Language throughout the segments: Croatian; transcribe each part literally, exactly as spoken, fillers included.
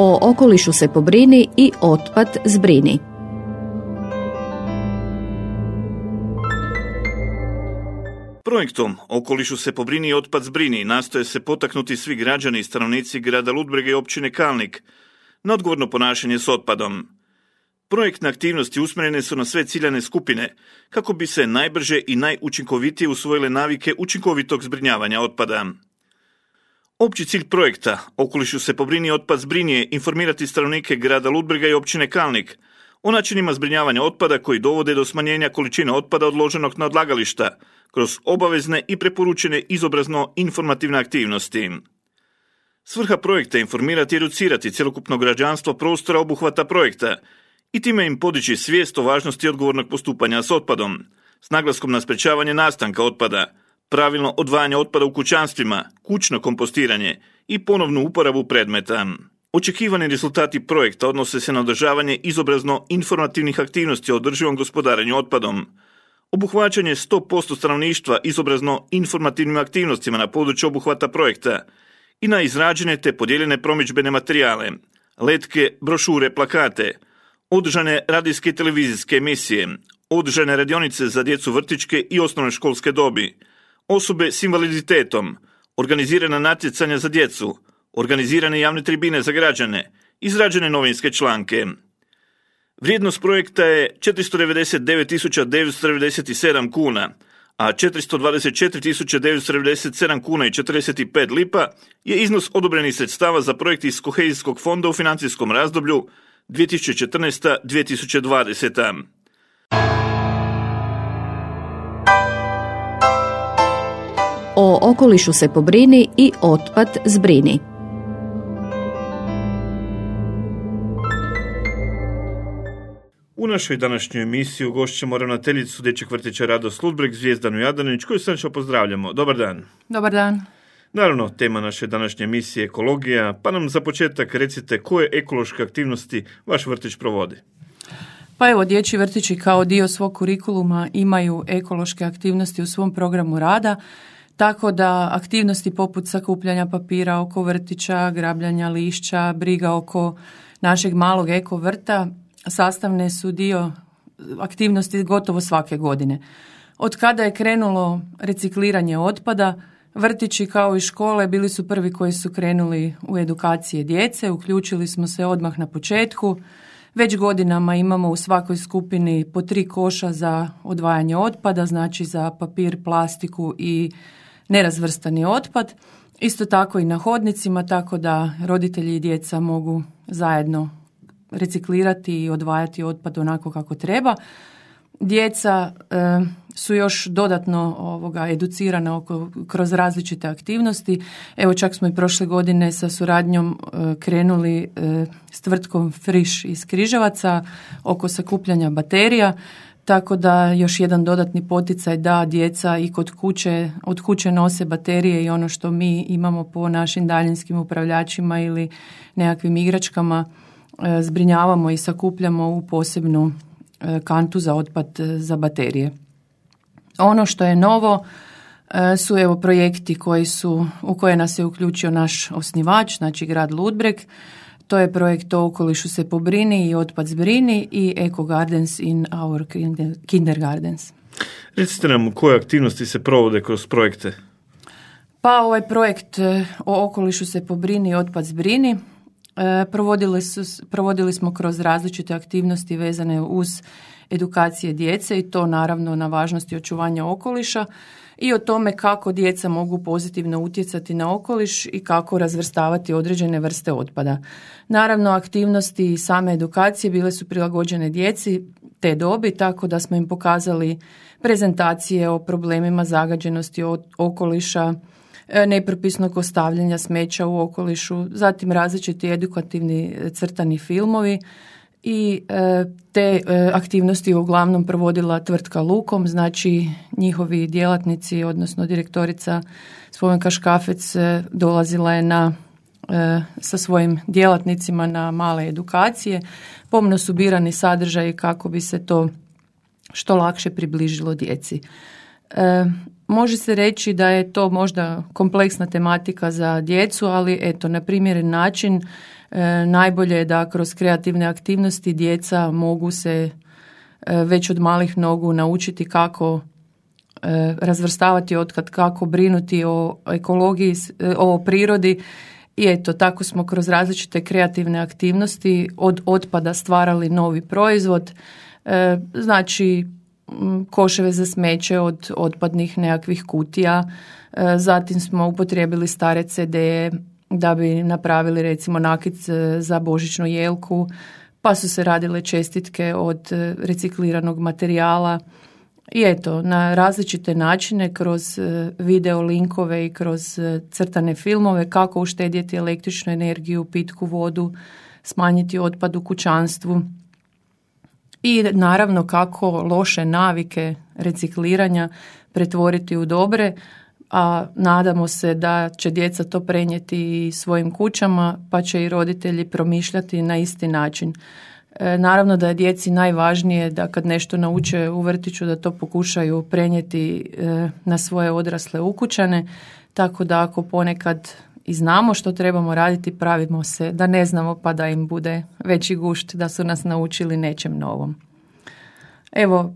O okolišu se pobrini i otpad zbrini. Projektom Okolišu se pobrini i otpad zbrini nastoje se potaknuti svi građani i stanovnici grada Ludbrega i općine Kalnik na odgovorno ponašanje s otpadom. Projektne aktivnosti usmjerene su na sve ciljane skupine kako bi se najbrže i najučinkovitije usvojile navike učinkovitog zbrinjavanja otpada. Opći cilj projekta Okolišu se pobrini i otpad zbrini je informirati stanovnike grada Ludbrega i općine Kalnik o načinima zbrinjavanja otpada koji dovode do smanjenja količine otpada odloženog na odlagališta kroz obavezne i preporučene izobrazno-informativne aktivnosti. Svrha projekta je informirati i educirati cjelokupno građanstvo prostora obuhvata projekta i time im podići svijest o važnosti odgovornog postupanja s otpadom, s naglaskom na sprečavanje nastanka otpada, pravilno odvajanje otpada u kućanstvima, kućno kompostiranje i ponovnu uporabu predmeta. Očekivani rezultati projekta odnose se na održavanje izobrazno-informativnih aktivnosti o održivom gospodarenju otpadom, obuhvaćanje sto posto stanovništva izobrazno-informativnim aktivnostima na području obuhvata projekta i na izrađene te podijeljene promidžbene materijale, letke, brošure, plakate, održane radijske i televizijske emisije, održane radionice za djecu vrtićke i osnovne školske dobi, osobe s invaliditetom, organizirana natjecanja za djecu, organizirane javne tribine za građane, izrađene novinske članke. Vrijednost projekta je četiristo devedeset devet tisuća devetsto devedeset sedam kuna, a četiristo dvadeset četiri tisuće devetsto devedeset sedam kuna i četrdeset pet lipa je iznos odobrenih sredstava za projekt iz kohezijskog fonda u financijskom razdoblju dvije tisuće četrnaesta do dvije tisuće dvadeseta. O okolišu se pobrini i otpad zbrini. U našoj današnjoj emisiji ugošćemo ravnateljicu Dječjeg vrtića Radost Ludbreg, Zvijezdanu Jadanić, koju srdačno pozdravljamo. Dobar dan. Dobar dan. Naravno, tema naše današnje emisije je ekologija, pa nam za početak recite koje ekološke aktivnosti vaš vrtić provodi. Pa evo, dječji vrtići kao dio svog kurikuluma imaju ekološke aktivnosti u svom programu rada, tako da aktivnosti poput sakupljanja papira oko vrtića, grabljanja lišća, briga oko našeg malog eko vrta sastavne su dio aktivnosti gotovo svake godine. Od kada je krenulo recikliranje otpada, vrtići kao i škole bili su prvi koji su krenuli u edukacije djece, uključili smo se odmah na početku. Već godinama imamo u svakoj skupini po tri koša za odvajanje otpada, znači za papir, plastiku i nerazvrstani otpad. Isto tako i na hodnicima, tako da roditelji i djeca mogu zajedno reciklirati i odvajati otpad onako kako treba. Djeca e, su još dodatno ovoga, educirana oko, kroz različite aktivnosti. Evo, čak smo i prošle godine sa suradnjom e, krenuli e, s tvrtkom Friš iz Križevaca oko sakupljanja baterija, tako da još jedan dodatni poticaj da djeca i kod kuće, od kuće nose baterije i ono što mi imamo po našim daljinskim upravljačima ili nekakvim igračkama e, zbrinjavamo i sakupljamo u posebnu kantu za otpad za baterije. Ono što je novo su evo projekti koji su, u koje nas je uključio naš osnivač, znači grad Ludbreg. To je projekt O okolišu se pobrini i otpad zbrini i Eco Gardens in our kindergardens. Recite nam koje aktivnosti se provode kroz projekte? Pa ovaj projekt O okolišu se pobrini i otpad zbrini Provodili, su, provodili smo kroz različite aktivnosti vezane uz edukacije djece i to naravno na važnosti očuvanja okoliša i o tome kako djeca mogu pozitivno utjecati na okoliš i kako razvrstavati određene vrste otpada. Naravno, aktivnosti i same edukacije bile su prilagođene djeci te dobi, tako da smo im pokazali prezentacije o problemima zagađenosti okoliša, nepropisnog ostavljanja smeća u okolišu, zatim različiti edukativni crtani filmovi i te aktivnosti uglavnom provodila tvrtka Lukom, znači njihovi djelatnici, odnosno direktorica Spomenka Škafec dolazila je na, sa svojim djelatnicima na male edukacije. Pomno su birani sadržaji kako bi se to što lakše približilo djeci. Može se reći da je to možda kompleksna tematika za djecu, ali eto, na primjeren način E, najbolje je da kroz kreativne aktivnosti djeca mogu se e, već od malih nogu naučiti kako e, razvrstavati otpad, kako brinuti o ekologiji, e, o prirodi. I eto, tako smo kroz različite kreativne aktivnosti od otpada stvarali novi proizvod. E, znači, koševe za smeće od otpadnih nekakvih kutija. E, zatim smo upotrijebili stare ce de da bi napravili recimo nakit za božićnu jelku, pa su se radile čestitke od recikliranog materijala. I eto, na različite načine, kroz video linkove i kroz crtane filmove, kako uštedjeti električnu energiju, pitku vodu, smanjiti otpad u kućanstvu i naravno kako loše navike recikliranja pretvoriti u dobre, a nadamo se da će djeca to prenijeti i svojim kućama, pa će i roditelji promišljati na isti način. E, naravno da je djeci najvažnije da kad nešto nauče u vrtiću da to pokušaju prenijeti e, na svoje odrasle ukućane, tako da ako ponekad i znamo što trebamo raditi, pravimo se da ne znamo pa da im bude veći gušt da su nas naučili nečem novom. Evo,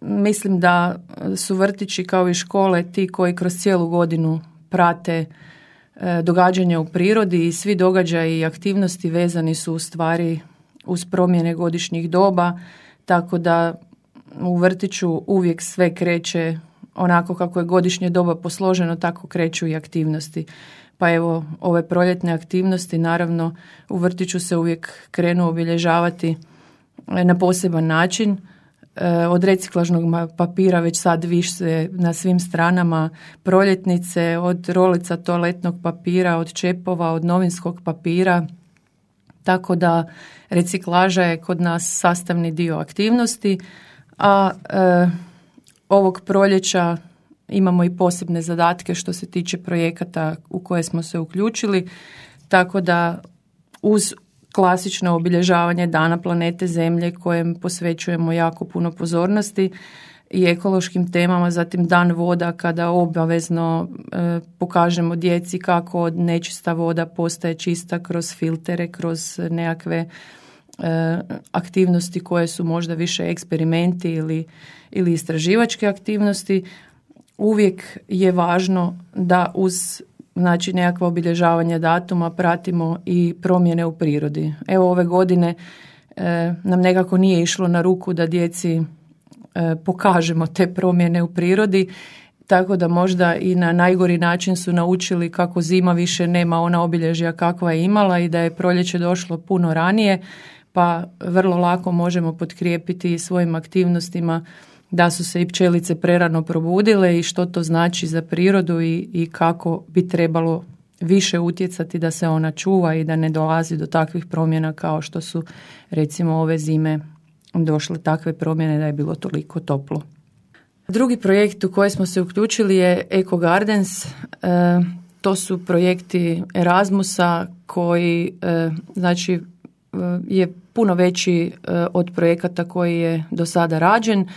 mislim da su vrtići kao i škole ti koji kroz cijelu godinu prate e, događanja u prirodi i svi događaji i aktivnosti vezani su u stvari uz promjene godišnjih doba, tako da u vrtiću uvijek sve kreće onako kako je godišnje doba posloženo, tako kreću i aktivnosti. Pa evo, ove proljetne aktivnosti naravno u vrtiću se uvijek krenu obilježavati na poseban način. Od reciklažnog papira već sad više na svim stranama proljetnice, od rolica toaletnog papira, od čepova, od novinskog papira, tako da reciklaža je kod nas sastavni dio aktivnosti, a e, ovog proljeća imamo i posebne zadatke što se tiče projekata u koje smo se uključili, tako da uz klasično obilježavanje Dana planete Zemlje kojem posvećujemo jako puno pozornosti i ekološkim temama, zatim Dan voda kada obavezno e, pokažemo djeci kako nečista voda postaje čista kroz filtere, kroz nekakve e, aktivnosti koje su možda više eksperimenti ili, ili istraživačke aktivnosti. Uvijek je važno da uz znači nekakva obilježavanja datuma pratimo i promjene u prirodi. Evo ove godine e, nam nekako nije išlo na ruku da djeci e, pokažemo te promjene u prirodi, tako da možda i na najgori način su naučili kako zima više nema ona obilježja kakva je imala i da je proljeće došlo puno ranije, pa vrlo lako možemo potkrijepiti svojim aktivnostima da su se i pčelice prerano probudile i što to znači za prirodu i, i kako bi trebalo više utjecati da se ona čuva i da ne dolazi do takvih promjena kao što su recimo ove zime došle takve promjene da je bilo toliko toplo. Drugi projekt u koji smo se uključili je Eco Gardens. E, to su projekti Erasmusa koji e, znači je puno veći e, od projekata koji je do sada rađen.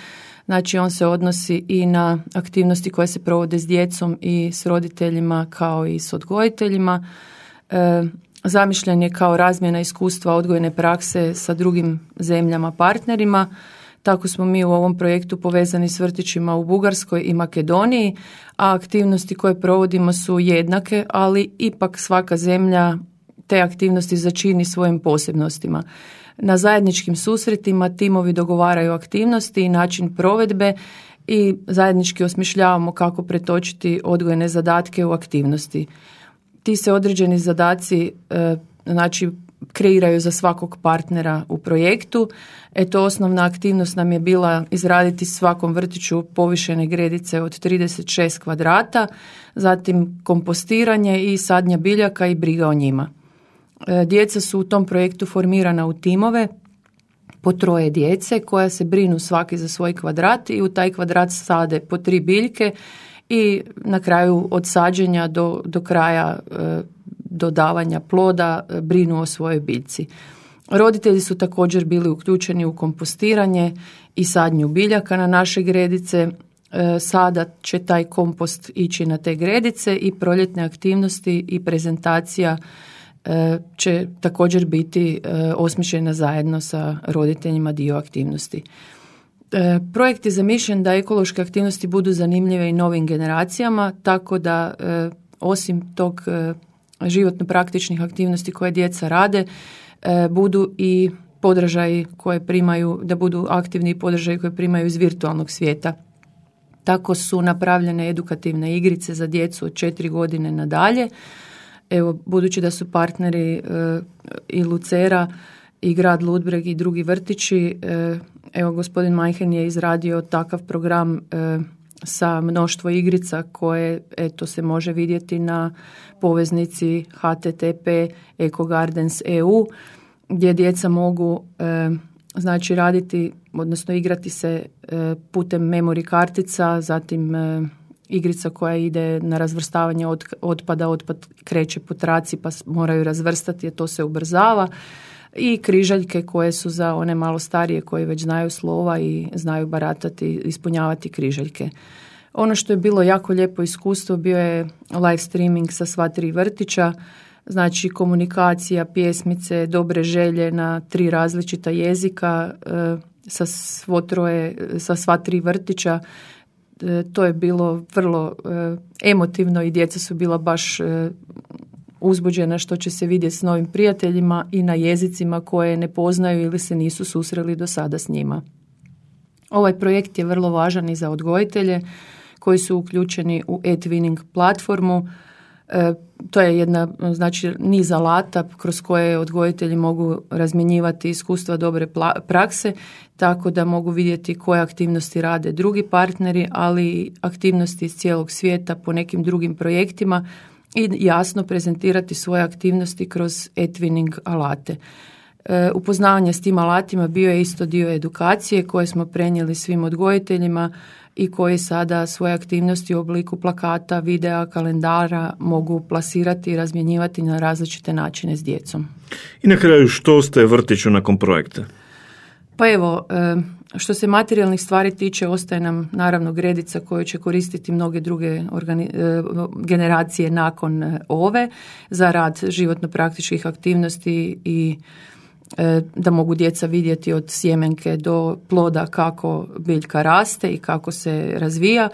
Znači on se odnosi i na aktivnosti koje se provode s djecom i s roditeljima kao i s odgojiteljima. E, zamišljen je kao razmjena iskustva odgojne prakse sa drugim zemljama partnerima. Tako smo mi u ovom projektu povezani s vrtićima u Bugarskoj i Makedoniji, a aktivnosti koje provodimo su jednake, ali ipak svaka zemlja te aktivnosti začini svojim posebnostima. Na zajedničkim susretima timovi dogovaraju aktivnosti i način provedbe i zajednički osmišljavamo kako pretočiti odgojne zadatke u aktivnosti. Ti se određeni zadaci e, znači kreiraju za svakog partnera u projektu. Eto, osnovna aktivnost nam je bila izraditi svakom vrtiću povišene gredice od trideset šest kvadrata, zatim kompostiranje i sadnja biljaka i briga o njima. Djeca su u tom projektu formirana u timove po troje djece koja se brinu svaki za svoj kvadrat i u taj kvadrat sade po tri biljke i na kraju od sađenja do, do kraja e, dodavanja ploda brinu o svojoj biljci. Roditelji su također bili uključeni u kompostiranje i sadnju biljaka na naše gredice. E, sada će taj kompost ići na te gredice i proljetne aktivnosti i prezentacija će također biti osmišljena zajedno sa roditeljima dio aktivnosti. Projekt je zamišljen da ekološke aktivnosti budu zanimljive i novim generacijama, tako da osim tog životno praktičnih aktivnosti koje djeca rade, budu i podržaji koje primaju, da budu aktivni podržaji koje primaju iz virtualnog svijeta. Tako su napravljene edukativne igrice za djecu od četiri godine nadalje. Evo, budući da su partneri e, i Lucera i grad Ludbreg i drugi vrtići, e, evo gospodin Majhen je izradio takav program e, sa mnoštvo igrica koje eto se može vidjeti na poveznici h t t p točka ecogardens točka e u gdje djeca mogu e, znači raditi, odnosno igrati se e, putem memory kartica, zatim e, igrica koja ide na razvrstavanje od, otpada, otpad kreće po traci pa moraju razvrstati, to se ubrzava, i križaljke koje su za one malo starije koji već znaju slova i znaju baratati, ispunjavati križaljke. Ono što je bilo jako lijepo iskustvo bio je live streaming sa sva tri vrtića, znači komunikacija, pjesmice, dobre želje na tri različita jezika e, sa, svo troje, sa sva tri vrtića. E, to je bilo vrlo e, emotivno i djeca su bila baš e, uzbuđena što će se vidjeti s novim prijateljima i na jezicima koje ne poznaju ili se nisu susreli do sada s njima. Ovaj projekt je vrlo važan i za odgojitelje koji su uključeni u e-twinning platformu. E, to je jedna, znači, niz alata kroz koje odgojitelji mogu razmjenjivati iskustva dobre pla- prakse, tako da mogu vidjeti koje aktivnosti rade drugi partneri, ali i aktivnosti iz cijelog svijeta po nekim drugim projektima i jasno prezentirati svoje aktivnosti kroz e-twinning alate. E, upoznavanje s tim alatima bio je isto dio edukacije koje smo prenijeli svim odgojiteljima i koji sada svoje aktivnosti u obliku plakata, videa, kalendara mogu plasirati i razmjenjivati na različite načine s djecom. I na kraju, što ostaje vrtiću nakon projekta? Pa evo, što se materijalnih stvari tiče, ostaje nam naravno gredica koju će koristiti mnoge druge organi- generacije nakon ove za rad životno praktičkih aktivnosti i da mogu djeca vidjeti od sjemenke do ploda kako biljka raste i kako se razvija.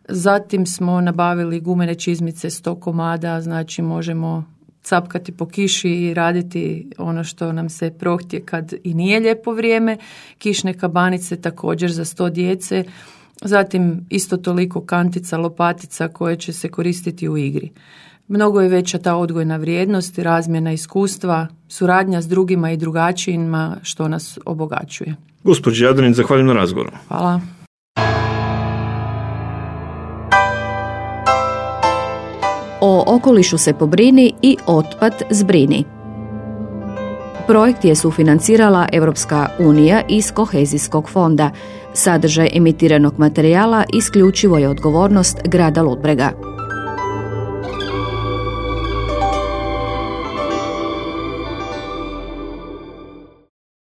Zatim smo nabavili gumene čizmice sto komada, znači možemo capkati po kiši i raditi ono što nam se prohtje kad i nije lijepo vrijeme. Kišne kabanice također za sto djece. Zatim isto toliko kantica, lopatica koje će se koristiti u igri. Mnogo je veća ta odgojna vrijednost, razmjena iskustva, suradnja s drugima i drugačijima što nas obogaćuje. Gospođi Jadrin, zahvaljujem na razgovoru. Hvala. O okolišu se pobrini i otpad zbrini. Projekt je sufinancirala Europska unija iz Kohezijskog fonda. Sadržaj emitiranog materijala isključivo je odgovornost grada Ludbrega.